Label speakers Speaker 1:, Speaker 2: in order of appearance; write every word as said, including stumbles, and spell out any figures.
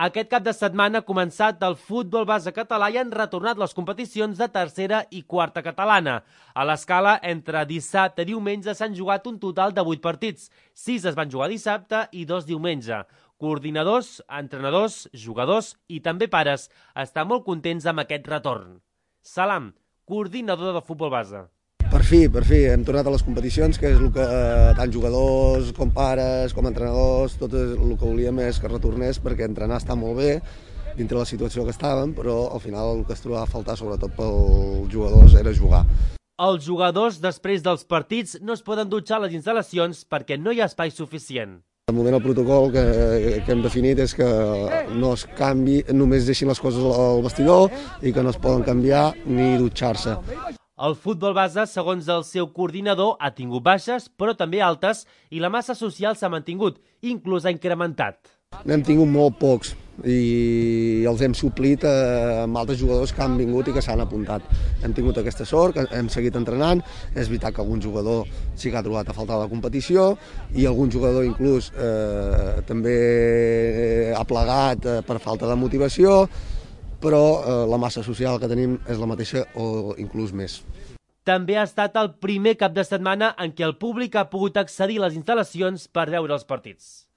Speaker 1: Aquest cap de setmana ha començat el futbol base català i han retornat les competicions de tercera i quarta catalana. A l'escala, entre dissabte i diumenge s'han jugat un total de vuit partits. sis es van jugar dissabte i dos diumenge. Coordinadors, entrenadors, jugadors i també pares estan molt contents amb aquest retorn. Salam, coordinador de futbol base.
Speaker 2: Per fi, per fi, hem tornat a les competicions, que és el que tant jugadors com pares, com entrenadors, tot el que volíem és que retornés, perquè entrenar està molt bé, dintre la situació que estàvem, però al final el que es trobava a faltar, sobretot pels jugadors, era jugar.
Speaker 1: Els jugadors, després dels partits, no es poden dutxar a les instal·lacions perquè no hi ha espai suficient.
Speaker 2: De moment el protocol que, que hem definit és que no es canvi, només deixin les coses al vestidor i que no es poden canviar ni dutxar-se.
Speaker 1: El futbol base, segons el seu coordinador, ha tingut baixes, però també altes, i la massa social s'ha mantingut, inclús ha incrementat.
Speaker 2: N'hem tingut molt pocs i els hem suplit amb altres jugadors que han vingut i que s'han apuntat. Hem tingut aquesta sort, que hem seguit entrenant. És veritat que algun jugador sí que ha trobat a faltar a la competició i algun jugador inclús eh, també ha plegat eh, per falta de motivació, però eh, la massa social que tenim és la mateixa o inclús més.
Speaker 1: També ha estat el primer cap de setmana en què el públic ha pogut accedir a les instal·lacions per veure els partits.